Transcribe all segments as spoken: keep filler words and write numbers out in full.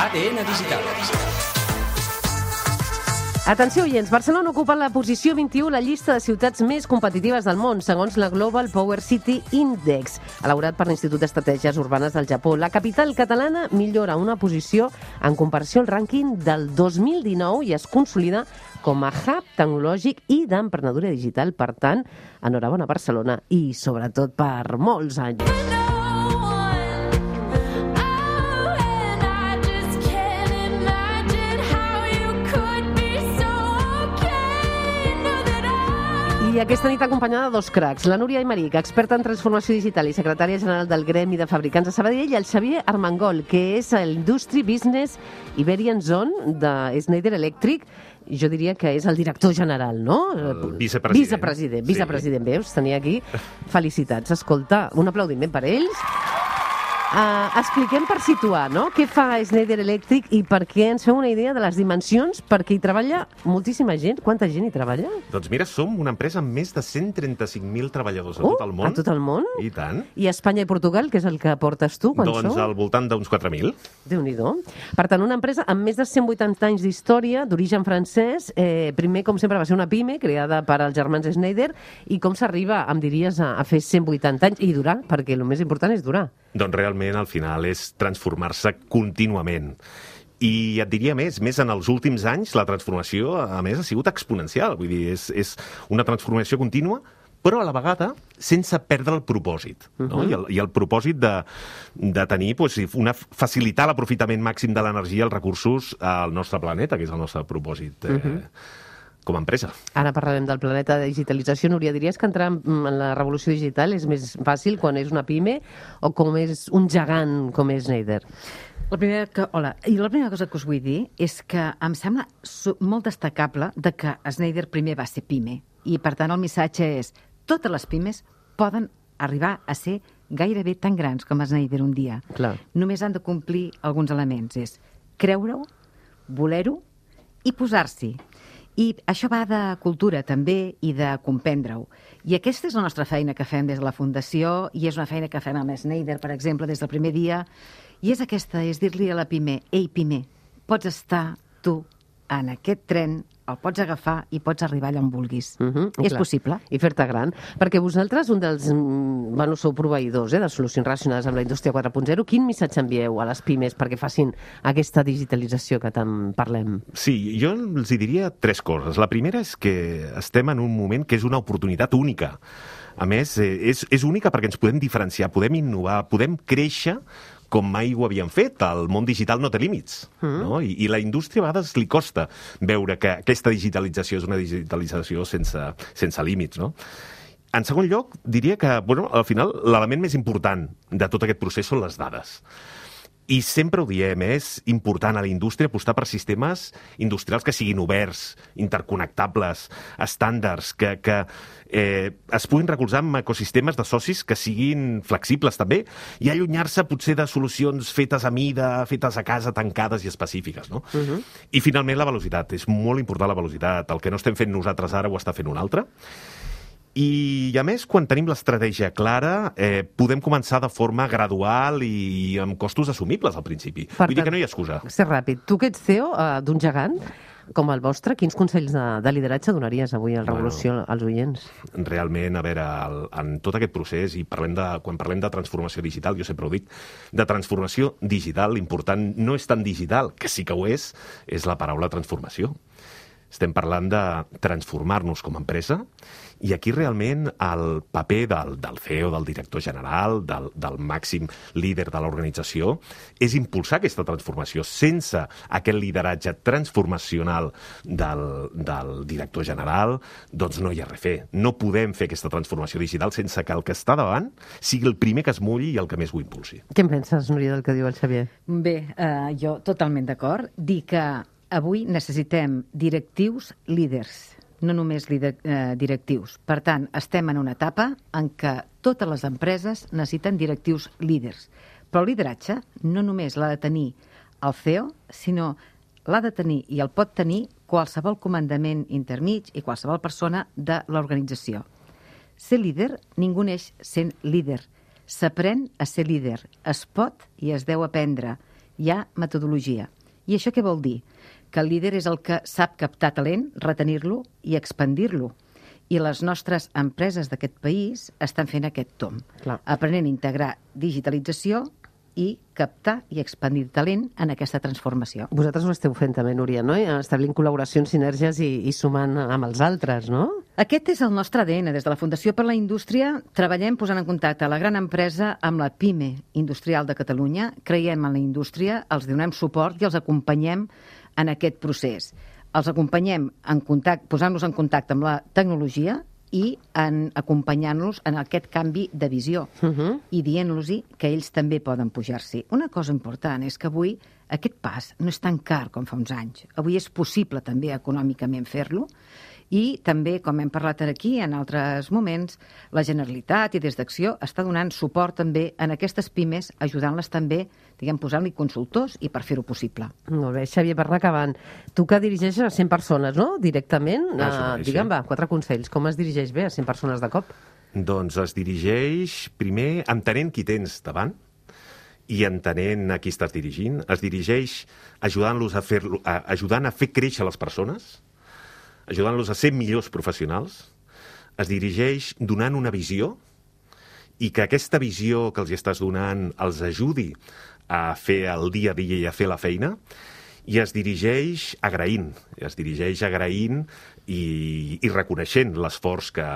A D N Digital. Atenció, oients, Barcelona ocupa la posició vint-i-u a la llista de ciutats més competitives del món, segons la Global Power City Index, elaborat per l'Institut d'Estratègies Urbanes del Japó. La capital catalana millora una posició en comparació al rànquing del dos mil dinou i es consolida com a hub tecnològic i d'emprenedoria digital. Per tant, enhorabona Barcelona i, sobretot, per molts anys. I aquesta nit acompanyada de dos cracs, la Núria Aymeric, experta en transformació digital i secretària general del Gremi de Fabricants de Sabadell, i el Xavier Armengol, que és el Industry Business Iberian Zone de Schneider Electric. Jo diria que és el director general, no? El vicepresident. Vicepresident, vicepresident, sí. Veus? Tenia aquí. Felicitats. Escolta, un aplaudiment per ells. Uh, expliquem per situar, no?, què fa Schneider Electric i per què ens feu una idea de les dimensions, perquè hi treballa moltíssima gent. Quanta gent hi treballa? Doncs mira, som una empresa amb més de cent trenta-cinc mil treballadors a uh, tot el món. A tot el món? I tant. I Espanya i Portugal, que és el que portes tu, quan doncs sou? Al voltant d'uns quatre mil. Déu-n'hi-do. Per tant, una empresa amb més de cent vuitanta anys d'història, d'origen francès. Eh, primer, com sempre, va ser una pime creada per als germans Schneider. I com s'arriba, em diries, a, a fer cent vuitanta anys i durar? Perquè el més important és durar. Doncs realment, al final, és transformar-se contínuament. I et diria més, més en els últims anys, la transformació, a més, ha sigut exponencial. Vull dir, és, és una transformació contínua, però a la vegada sense perdre el propòsit. No? Uh-huh. I, el, I el propòsit de, de tenir, doncs, una, facilitar l'aprofitament màxim de l'energia i els recursos al nostre planeta, que és el nostre propòsit eh, uh-huh. com a empresa. Ara parlarem del planeta de digitalització. Núria, diries que entrar en la revolució digital és més fàcil quan és una pime o com és un gegant com és Schneider? La primera, que, hola, i la primera cosa que us vull dir és que em sembla molt destacable de que Schneider primer va ser pime i, per tant, el missatge és totes les pimes poden arribar a ser gairebé tan grans com Schneider un dia. Clar. Només han de complir alguns elements. És creure-ho, voler-ho i posar-s'hi. I això va de cultura, també, i de comprendre-ho. I aquesta és la nostra feina que fem des de la Fundació, i és una feina que fem amb Schneider, per exemple, des del primer dia. I és aquesta, és dir-li a la pime, ei, pime, pots estar tu en aquest tren, el pots agafar i pots arribar allà on vulguis. Uh-huh, és clar. possible. I fer-te gran. Perquè vosaltres, un dels... Bueno, sou proveïdors eh, de solucions relacionades amb la indústria quatre punt zero. Quin missatge envieu a les pimes perquè facin aquesta digitalització que tant parlem? Sí, jo els hi diria tres coses. La primera és que estem en un moment que és una oportunitat única. A més, és, és única perquè ens podem diferenciar, podem innovar, podem créixer com mai ho havien fet. El món digital no té límits. Mm. No? I, I la indústria a vegades li costa veure que aquesta digitalització és una digitalització sense, sense límits. No? En segon lloc, diria que, bueno, al final, l'element més important de tot aquest procés són les dades. I sempre ho diem, és important a la indústria apostar per sistemes industrials que siguin oberts, interconnectables, estàndards, que, que eh, es puguin recolzar en ecosistemes de socis que siguin flexibles també i allunyar-se potser de solucions fetes a mida, fetes a casa, tancades i específiques. No? Uh-huh. I finalment la velocitat. És molt important la velocitat. El que no estem fent nosaltres ara ho està fent un altre. I, a més, quan tenim l'estratègia clara, eh, podem començar de forma gradual i amb costos assumibles al principi. Per Vull tant, dir que no hi ha excusa. Ser ràpid. Tu que ets C E O uh, d'un gegant com el vostre, quins consells de, de lideratge donaries avui al Revolució bueno, als oients? Realment, a veure, el, en tot aquest procés, i parlem de, quan parlem de transformació digital, jo sempre ho dic, de transformació digital, l'important no és tan digital, que sí que ho és, és la paraula transformació. Estem parlant de transformar-nos com a empresa i aquí realment el paper del, del C E O, del director general, del, del màxim líder de l'organització és impulsar aquesta transformació. Sense aquest lideratge transformacional del, del director general, doncs no hi ha res a fer. No podem fer aquesta transformació digital sense que el que està davant sigui el primer que es mulli i el que més ho impulsi. Què en penses, Núria, del que diu el Xavier? Bé, eh, jo totalment d'acord. Dir que avui necessitem directius líders, no només líder, eh, directius. Per tant, estem en una etapa en què totes les empreses necessiten directius líders. Però el lideratge no només l'ha de tenir el C E O, sinó l'ha de tenir i el pot tenir qualsevol comandament intermig i qualsevol persona de l'organització. Ser líder, ningú neix sent líder. S'aprèn a ser líder. Es pot i es deu aprendre. hi ha metodologia. I això què vol dir? Que el líder és el que sap captar talent, retenir-lo i expandir-lo. I les nostres empreses d'aquest país estan fent aquest tomb, Clar. aprenent a integrar digitalització i captar i expandir talent en aquesta transformació. Vosaltres ho esteu fent també, Núria, no? I establint col·laboracions, sinergies i, i sumant amb els altres, no? Aquest és el nostre A D N. Des de la Fundació per la Indústria treballem posant en contacte la gran empresa amb la PIME industrial de Catalunya, creiem en la indústria, els donem suport i els acompanyem en aquest procés. Els acompanyem en contacte, posant-los en contacte amb la tecnologia i en acompanyant-los en aquest canvi de visió Uh -huh. i dient-los que ells també poden pujar-s'hi. Una cosa important és que avui aquest pas no és tan car com fa uns anys. Avui és possible també econòmicament fer-lo i també, com hem parlat aquí en altres moments, la Generalitat i des d'Acció està donant suport també en aquestes pimes, ajudant-les també, diguem, posant-li consultors i per fer-ho possible. Molt bé, Xavier, per anar acabant. Tu que dirigeixes a cent persones, no?, directament. Ah, Uh, sí. digue'm, va, quatre consells. Com es dirigeix bé a cent persones de cop? Doncs es dirigeix, primer, entenent qui tens davant i entenent a qui estàs dirigint. Es dirigeix ajudant-los a fer, a, ajudant a fer créixer les persones, ajudant-los a ser millors professionals. Es dirigeix donant una visió i que aquesta visió que els estàs donant els ajudi a fer el dia a dia i a fer la feina. I es dirigeix agraint, es dirigeix agraint i, i reconeixent l'esforç que,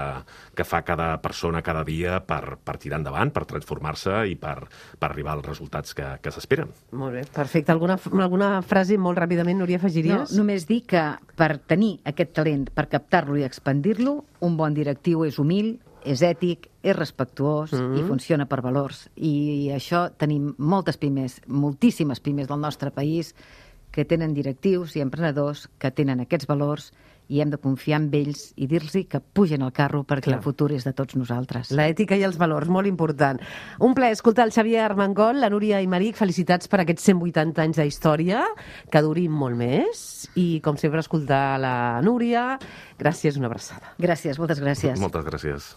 que fa cada persona cada dia per, per tirar endavant, per transformar-se i per, per arribar als resultats que, que s'esperen. Molt bé, perfecte. Alguna, alguna frase molt ràpidament, Núria, No, afegiries? només dir que per tenir aquest talent, per captar-lo i expandir-lo, un bon directiu és humil, és ètic, és respectuós Mm. i funciona per valors. I això tenim moltes pimes, moltíssimes pimes del nostre país que tenen directius i emprenedors que tenen aquests valors i hem de confiar en ells i dir-los que pugen al carro perquè Clar. el futur és de tots nosaltres. L'ètica i els valors, molt important. Un plaer escoltar el Xavier Armengol, la Núria Aymeric. Felicitats per aquests cent vuitanta anys d'història, que durin molt més. I, com sempre, escoltar la Núria. Gràcies, una abraçada. Gràcies, moltes gràcies. Moltes gràcies.